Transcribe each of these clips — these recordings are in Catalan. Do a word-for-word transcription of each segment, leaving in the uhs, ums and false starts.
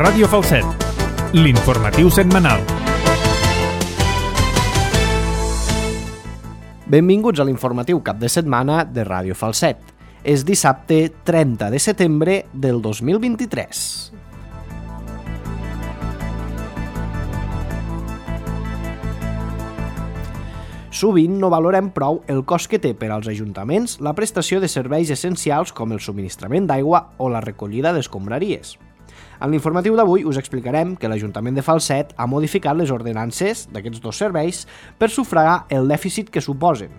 Ràdio Falset, l'informatiu setmanal. Benvinguts a l'informatiu cap de setmana de Ràdio Falset. És dissabte trenta de setembre del dos mil vint-i-tres. Sovint no valorem prou el cost que té per als ajuntaments la prestació de serveis essencials com el subministrament d'aigua o la recollida d'escombraries. En l'informatiu d'avui us explicarem que l'Ajuntament de Falset ha modificat les ordenances d'aquests dos serveis per sufragar el dèficit que suposen.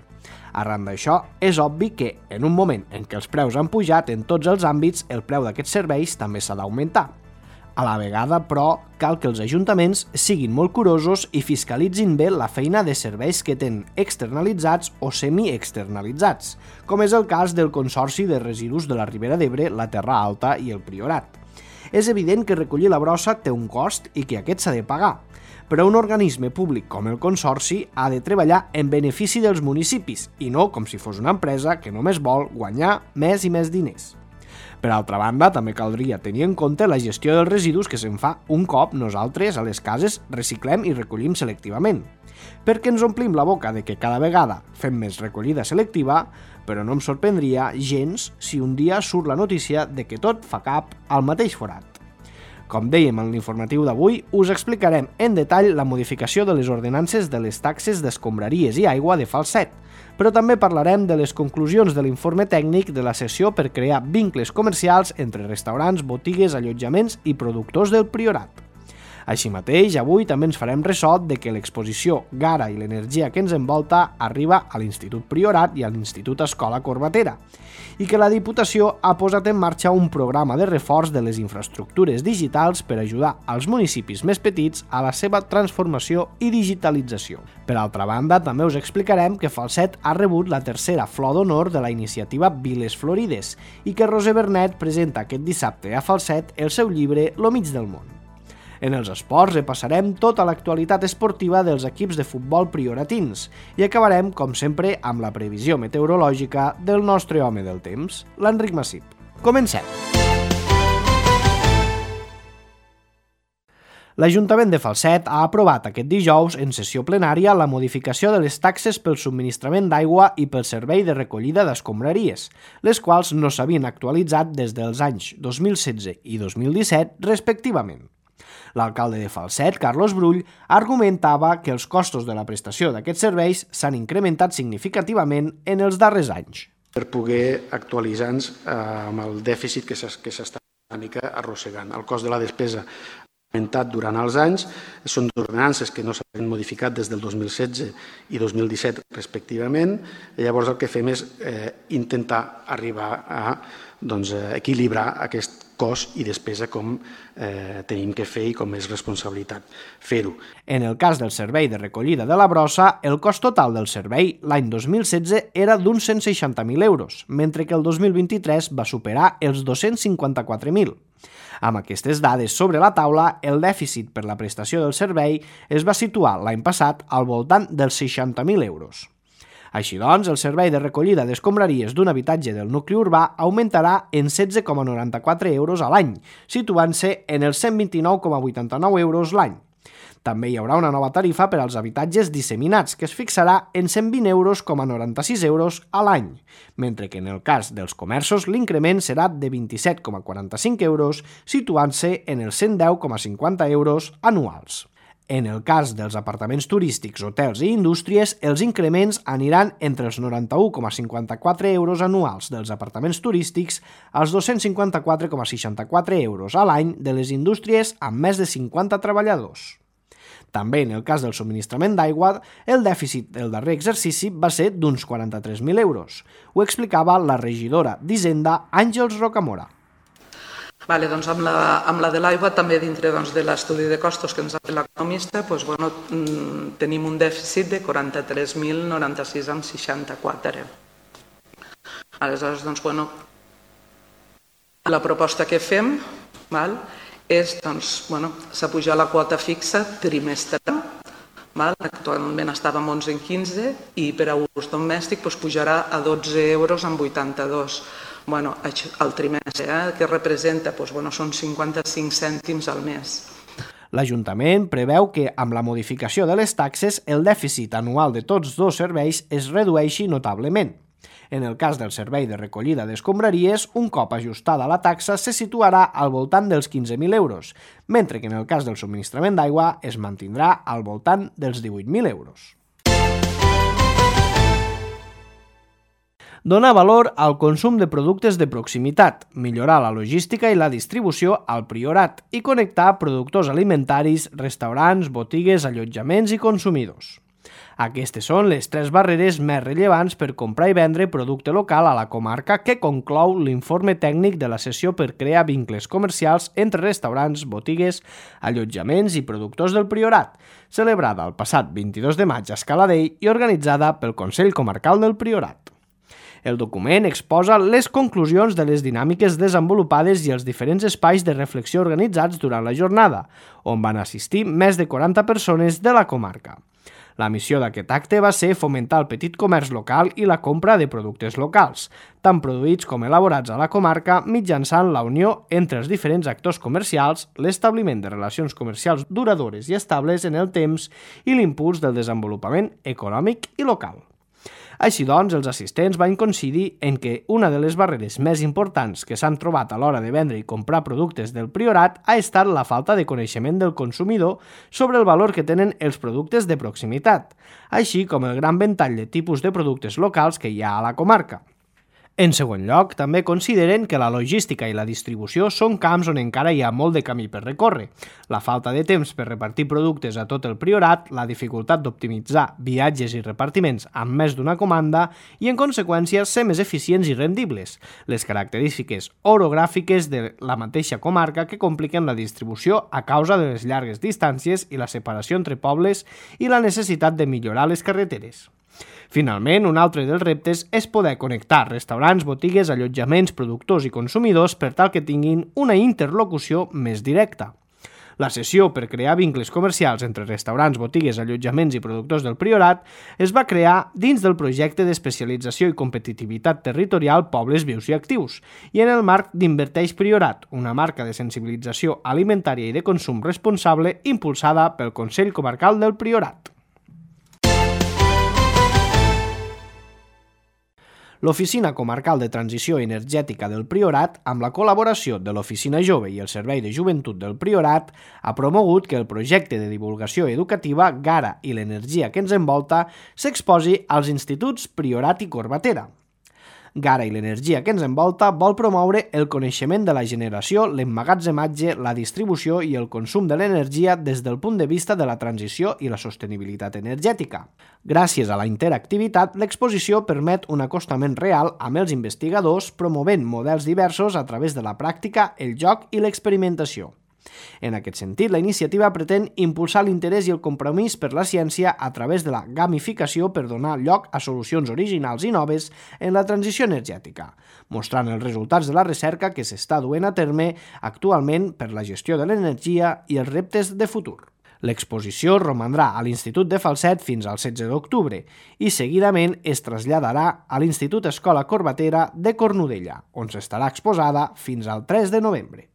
Arran d'això, és obvi que, en un moment en què els preus han pujat en tots els àmbits, el preu d'aquests serveis també s'ha d'augmentar. A la vegada, però, cal que els ajuntaments siguin molt curosos i fiscalitzin bé la feina de serveis que tenen externalitzats o semi-externalitzats, com és el cas del Consorci de Residus de la Ribera d'Ebre, la Terra Alta i el Priorat. És evident que recollir la brossa té un cost i que aquest s'ha de pagar, però un organisme públic com el Consorci ha de treballar en benefici dels municipis i no com si fos una empresa que només vol guanyar més i més diners. Per altra banda, també caldria tenir en compte la gestió dels residus que se'n fa un cop nosaltres a les cases reciclem i recollim selectivament. Perquè ens omplim la boca de que cada vegada fem més recollida selectiva, però no em sorprendria gens si un dia surt la notícia de que tot fa cap al mateix forat. Com dèiem en l'informatiu d'avui, us explicarem en detall la modificació de les ordenances de les taxes d'escombraries i aigua de Falset, però també parlarem de les conclusions de l'informe tècnic de la sessió per crear vincles comercials entre restaurants, botigues, allotjaments i productors del Priorat. Així mateix, avui també ens farem ressò de que l'exposició Gara i l'energia que ens envolta arriba a l'Institut Priorat i a l'Institut Escola Corbatera, i que la Diputació ha posat en marxa un programa de reforç de les infraestructures digitals per ajudar als municipis més petits a la seva transformació i digitalització. Per altra banda, també us explicarem que Falset ha rebut la tercera flor d'honor de la iniciativa Viles Florides i que Roser Bernet presenta aquest dissabte a Falset el seu llibre Lo mig del món. En els esports repassarem tota l'actualitat esportiva dels equips de futbol prioratins i acabarem, com sempre, amb la previsió meteorològica del nostre home del temps, l'Enric Massip. Comencem! L'Ajuntament de Falset ha aprovat aquest dijous en sessió plenària la modificació de les taxes pel subministrament d'aigua i pel servei de recollida d'escombraries, les quals no s'havien actualitzat des dels anys dos mil setze i dos mil disset, respectivament. L'alcalde de Falset, Carlos Brull, argumentava que els costos de la prestació d'aquests serveis s'han incrementat significativament en els darrers anys. Per poder actualitzar-nos amb el dèficit que s'està una mica arrossegant. El cost de la despesa ha augmentat durant els anys, són ordenances que no s'han modificat des del dos mil setze i dos mil disset respectivament, i llavors el que fem és eh, intentar arribar a doncs, equilibrar aquest cost i despesa com eh, tenim que fer i com és responsabilitat fer-ho. En el cas del servei de recollida de la brossa, el cost total del servei l'any dos mil setze era d'uns cent seixanta mil euros, mentre que el dos mil vint-i-tres va superar els dos-cents cinquanta-quatre mil. Amb aquestes dades sobre la taula, el dèficit per la prestació del servei es va situar l'any passat al voltant dels seixanta mil euros. Així doncs, el servei de recollida d'escombraries d'un habitatge del nucli urbà augmentarà en setze coma noranta-quatre euros a l'any, situant-se en els cent vint-i-nou coma vuitanta-nou euros l'any. També hi haurà una nova tarifa per als habitatges disseminats, que es fixarà en cent vint euros coma noranta-sis euros a l'any, mentre que en el cas dels comerços l'increment serà de vint-i-set coma quaranta-cinc euros, situant-se en els cent deu coma cinquanta euros anuals. En el cas dels apartaments turístics, hotels i indústries, els increments aniran entre els noranta-u coma cinquanta-quatre euros anuals dels apartaments turístics als dos-cents cinquanta-quatre coma seixanta-quatre euros a l'any de les indústries amb més de cinquanta treballadors. També en el cas del subministrament d'aigua, el dèficit del darrer exercici va ser d'uns quaranta-tres mil euros. Ho explicava la regidora d'Hisenda, Àngels Rocamora. Vale, doncs amb, la, amb la de l'aigua també dintre doncs, de l'estudi de costos que ens ha fet l'economista doncs, bueno, tenim un dèficit de quaranta-tres mil noranta-sis coma seixanta-quatre. Aleshores, doncs, bueno, la proposta que fem val, és, doncs, bueno, s'ha pujat la quota fixa trimestral, val? Actualment estava en onze coma quinze i per a ús domèstic doncs, pujarà a dotze euros amb vuitanta-dos. bueno, el trimestre, eh, que representa, doncs, bueno, són cinquanta-cinc cèntims al mes. L'Ajuntament preveu que, amb la modificació de les taxes, el dèficit anual de tots dos serveis es redueixi notablement. En el cas del servei de recollida d'escombraries, un cop ajustada la taxa se situarà al voltant dels quinze mil euros, mentre que en el cas del subministrament d'aigua es mantindrà al voltant dels divuit mil euros. Donar valor al consum de productes de proximitat, millorar la logística i la distribució al Priorat i connectar productors alimentaris, restaurants, botigues, allotjaments i consumidors. Aquestes són les tres barreres més rellevants per comprar i vendre producte local a la comarca que conclou l'informe tècnic de la sessió per crear vincles comercials entre restaurants, botigues, allotjaments i productors del Priorat, celebrada el passat vint-i-dos de maig a Escaladell i organitzada pel Consell Comarcal del Priorat. El document exposa les conclusions de les dinàmiques desenvolupades i els diferents espais de reflexió organitzats durant la jornada, on van assistir més de quaranta persones de la comarca. La missió d'aquest acte va ser fomentar el petit comerç local i la compra de productes locals, tant produïts com elaborats a la comarca mitjançant la unió entre els diferents actors comercials, l'establiment de relacions comercials duradores i estables en el temps i l'impuls del desenvolupament econòmic i local. Així doncs, els assistents van coincidir en que una de les barreres més importants que s'han trobat a l'hora de vendre i comprar productes del Priorat ha estat la falta de coneixement del consumidor sobre el valor que tenen els productes de proximitat, així com el gran ventall de tipus de productes locals que hi ha a la comarca. En segon lloc, també consideren que la logística i la distribució són camps on encara hi ha molt de camí per recórrer. La falta de temps per repartir productes a tot el Priorat, la dificultat d'optimitzar viatges i repartiments amb més d'una comanda i, en conseqüència, ser més eficients i rendibles, les característiques orogràfiques de la mateixa comarca que compliquen la distribució a causa de les llargues distàncies i la separació entre pobles i la necessitat de millorar les carreteres. Finalment, un altre dels reptes és poder connectar restaurants, botigues, allotjaments, productors i consumidors per tal que tinguin una interlocució més directa. La sessió per crear vincles comercials entre restaurants, botigues, allotjaments i productors del Priorat es va crear dins del projecte d'especialització i competitivitat territorial Pobles Vius i Actius i en el marc d'Inverteix Priorat, una marca de sensibilització alimentària i de consum responsable impulsada pel Consell Comarcal del Priorat. L'Oficina Comarcal de Transició Energètica del Priorat, amb la col·laboració de l'Oficina Jove i el Servei de Joventut del Priorat, ha promogut que el projecte de divulgació educativa Gara i l'energia que ens envolta s'exposi als instituts Priorat i Corbatera. Gara i l'energia que ens envolta vol promoure el coneixement de la generació, l'emmagatzematge, la distribució i el consum de l'energia des del punt de vista de la transició i la sostenibilitat energètica. Gràcies a la interactivitat, l'exposició permet un acostament real amb els investigadors promovent models diversos a través de la pràctica, el joc i l'experimentació. En aquest sentit, la iniciativa pretén impulsar l'interès i el compromís per la ciència a través de la gamificació per donar lloc a solucions originals i noves en la transició energètica, mostrant els resultats de la recerca que s'està duent a terme actualment per la gestió de l'energia i els reptes de futur. L'exposició romandrà a l'Institut de Falset fins al setze d'octubre i seguidament es traslladarà a l'Institut Escola Corbatera de Cornudella, on s'estarà exposada fins al tres de novembre.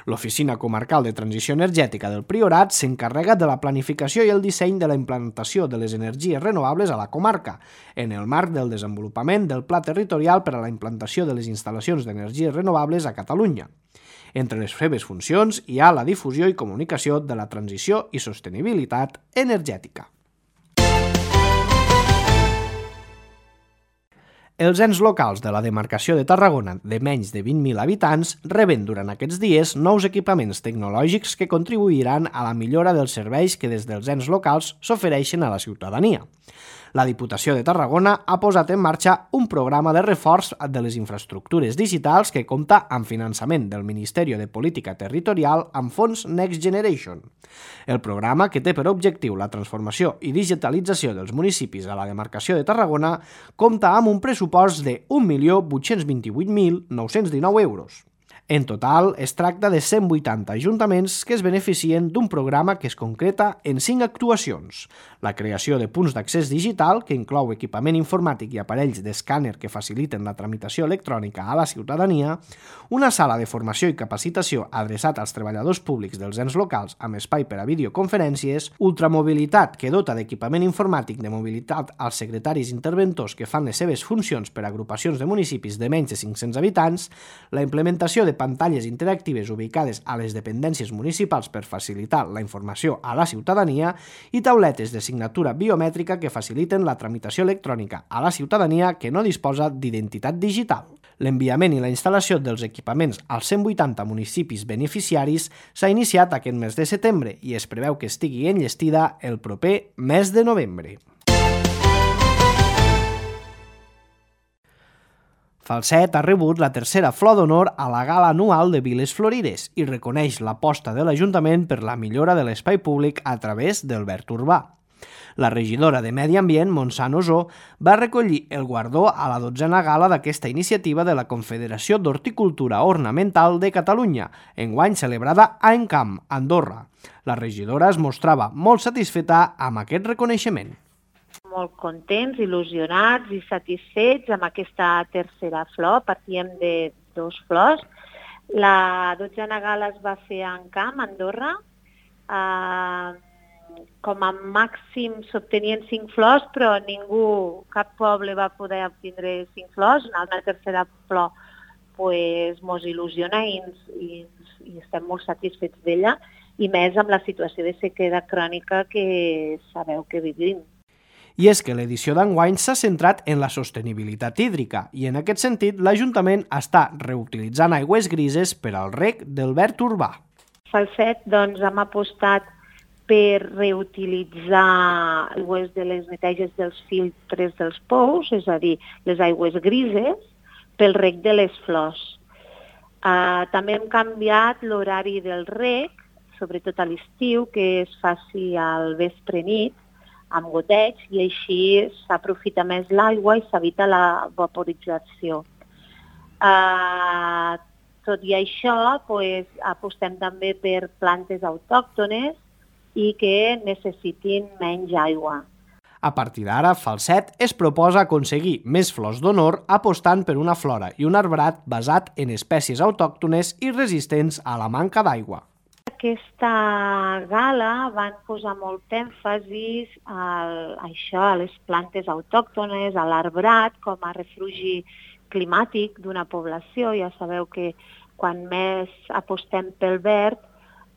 L'Oficina Comarcal de Transició Energètica del Priorat s'encarrega de la planificació i el disseny de la implantació de les energies renovables a la comarca, en el marc del desenvolupament del Pla Territorial per a la implantació de les instal·lacions d'energies renovables a Catalunya. Entre les seves funcions hi ha la difusió i comunicació de la transició i sostenibilitat energètica. Els ens locals de la demarcació de Tarragona de menys de vint mil habitants reben durant aquests dies nous equipaments tecnològics que contribuiran a la millora dels serveis que des dels ens locals s'ofereixen a la ciutadania. La Diputació de Tarragona ha posat en marxa un programa de reforç de les infraestructures digitals que compta amb finançament del Ministeri de Política Territorial amb fons Next Generation. El programa, que té per objectiu la transformació i digitalització dels municipis a la demarcació de Tarragona, compta amb un pressupost de un milió vuit-cents vint-i-vuit mil nou-cents dinou euros. En total, es tracta de cent vuitanta ajuntaments que es beneficien d'un programa que es concreta en cinc actuacions. La creació de punts d'accés digital, que inclou equipament informàtic i aparells d'escàner que faciliten la tramitació electrònica a la ciutadania, una sala de formació i capacitació adreçat als treballadors públics dels ens locals amb espai per a videoconferències, ultramobilitat que dota d'equipament informàtic de mobilitat als secretaris interventors que fan les seves funcions per a agrupacions de municipis de menys de cinc-cents habitants, la implementació de pantalles interactives ubicades a les dependències municipals per facilitar la informació a la ciutadania i tauletes de signatura biomètrica que faciliten la tramitació electrònica a la ciutadania que no disposa d'identitat digital. L'enviament i la instal·lació dels equipaments als cent vuitanta municipis beneficiaris s'ha iniciat aquest mes de setembre i es preveu que estigui enllestida el proper mes de novembre. Falset ha rebut la tercera flor d'honor a la gala anual de Viles Florides i reconeix l'aposta de l'Ajuntament per la millora de l'espai públic a través del verd urbà. La regidora de Medi Ambient, Montsant Osó, va recollir el guardó a la dotzena gala d'aquesta iniciativa de la Confederació d'Horticultura Ornamental de Catalunya, enguany celebrada a Encamp, Andorra. La regidora es mostrava molt satisfeta amb aquest reconeixement. Molt contents, il·lusionats i satisfets amb aquesta tercera flor. Partíem de dos flors. La dotzena gala es va fer a Encamp, Andorra. Eh, com a màxim s'obtenien cinc flors, però ningú, cap poble va poder obtindre cinc flors. Una tercera flor pues, mos il·lusiona i, i, i estem molt satisfets d'ella, i més amb la situació de sequera crònica que sabeu que vivim. I és que l'edició d'enguany s'ha centrat en la sostenibilitat hídrica i en aquest sentit l'Ajuntament està reutilitzant aigües grises per al reg del verd urbà. Falset, doncs, hem apostat per reutilitzar aigües de les neteges dels filtres dels pous, és a dir, les aigües grises, pel reg de les flors. Uh, també hem canviat l'horari del reg, sobretot a l'estiu, que es faci al vespre nit, amb goteig, i així s'aprofita més l'aigua i s'evita la vaporització. Uh, tot i això, pues, apostem també per plantes autòctones i que necessitin menys aigua. A partir d'ara, Falset es proposa aconseguir més flors d'honor apostant per una flora i un arbrat basat en espècies autòctones i resistents a la manca d'aigua. Aquesta gala van posar molt èmfasi a això, a les plantes autòctones, a l'arbrat com a refugi climàtic d'una població. Ja sabeu que quan més apostem pel verd,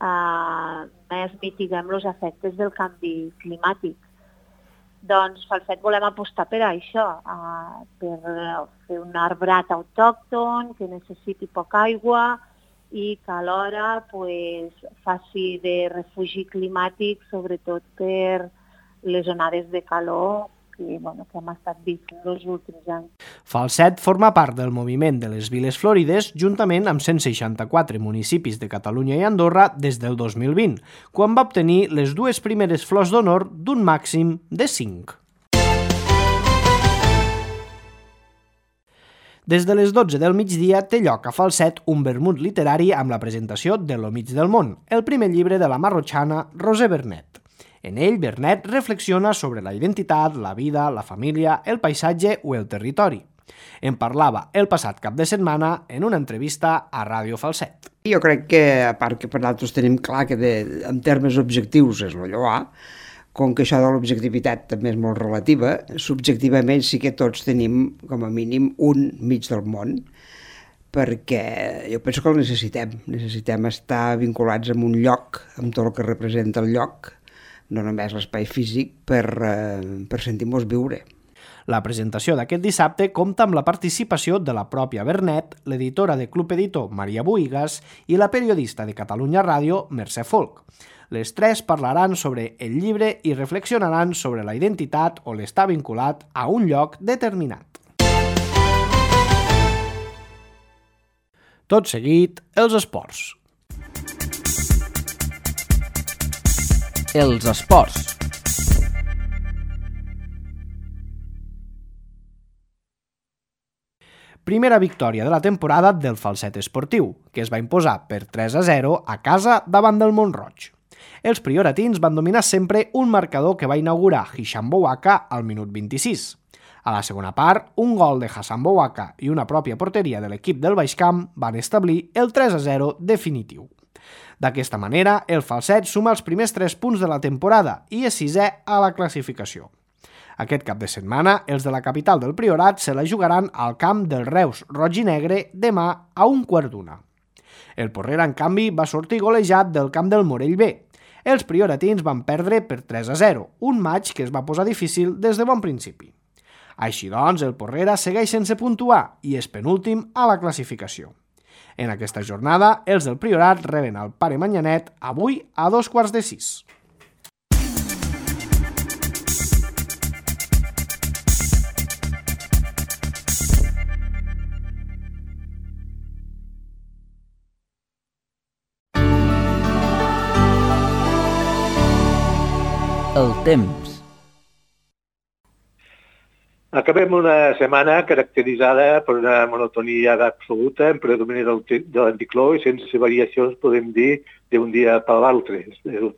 eh, més mitiguem els efectes del canvi climàtic. Doncs Falset volem apostar per això, eh, per fer un arbrat autòcton que necessiti poca aigua i que alhora pues, faci de refugi climàtic, sobretot per les onades de calor que, bueno, que hem estat vivint els últims anys. Falset forma part del moviment de les Viles Florides juntament amb cent seixanta-quatre municipis de Catalunya i Andorra des del dos mil vint, quan va obtenir les dues primeres flors d'honor d'un màxim de cinc. Des de les dotze del migdia té lloc a Falset un vermut literari amb la presentació de Lo mig del món, el primer llibre de la marrotxana Roser Vernet. En ell, Vernet reflexiona sobre la identitat, la vida, la família, el paisatge o el territori. En parlava el passat cap de setmana en una entrevista a Ràdio Falset. Jo crec que, a part que per nosaltres tenim clar que de, en termes objectius és el lloar, com que això de l'objectivitat també és molt relativa, subjectivament sí que tots tenim, com a mínim, un mig del món, perquè jo penso que el necessitem. Necessitem estar vinculats amb un lloc, amb tot el que representa el lloc, no només l'espai físic, per, eh, per sentir-nos viure. La presentació d'aquest dissabte compta amb la participació de la pròpia Vernet, l'editora de Club Editor Maria Buigas i la periodista de Catalunya Ràdio Mercè Folk. Les tres parlaran sobre el llibre i reflexionaran sobre la identitat o l'estar vinculat a un lloc determinat. Tot seguit, els esports. Els esports. primera victòria de la temporada del Falset Esportiu, que es va imposar per tres a zero a casa davant del Mont-roig. Els prioratins van dominar sempre un marcador que va inaugurar Hisham Bouaka al minut vint-i-sis. A la segona part, un gol de Hassan Bouaka i una pròpia porteria de l'equip del Baix Camp van establir el tres a zero definitiu. D'aquesta manera, el Falset suma els primers tres punts de la temporada i és sisè a la classificació. Aquest cap de setmana, els de la capital del Priorat se la jugaran al camp del Reus Roig i Negre demà a un quart d'una. El Porrera, en canvi, va sortir golejat del camp del Morell B. Els prioratins van perdre per tres a zero, un maig que es va posar difícil des de bon principi. Així doncs, el Porrera segueix sense puntuar i és penúltim a la classificació. En aquesta jornada, els del Priorat reben el Pare Manyanet avui a dos quarts de sis. El temps. Acabem una setmana caracteritzada per una monotonia absoluta en predomini del, de l'anticicló i sense variacions, podem dir, d'un dia per l'altre.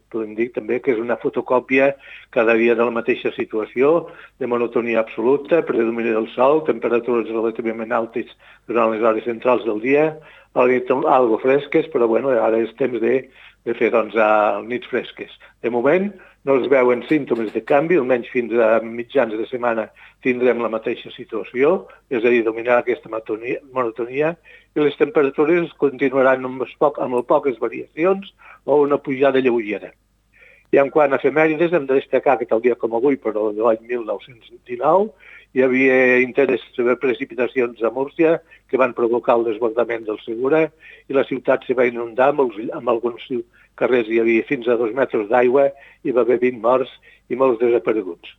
Podem dir també que és una fotocòpia cada dia de la mateixa situació, de monotonia absoluta, predomini del sol, temperatures relativament altes durant les hores centrals del dia, a la nit algo fresques, però bueno, ara és temps de, de fer doncs, nits fresques. De moment, no es veuen símptomes de canvi, almenys fins a mitjans de setmana tindrem la mateixa situació, és a dir, dominar aquesta monotonia, monotonia i les temperatures continuaran amb, poc, amb poques variacions o una pujada lleugera. I en quant a efemèrides, hem de destacar que tal dia com avui, però de l'any mil nou-cents dinou, hi havia interessos de precipitacions a Múrcia que van provocar el desbordament del Segura i la ciutat se va inundar amb, els, amb alguns carrers hi havia fins a dos metres d'aigua i va haver vint morts i molts desapareguts.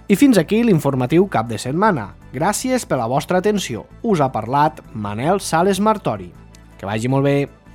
I fins aquí l'informatiu cap de setmana. Gràcies per la vostra atenció. Us ha parlat Manel Sales Martori. Que vagi molt bé.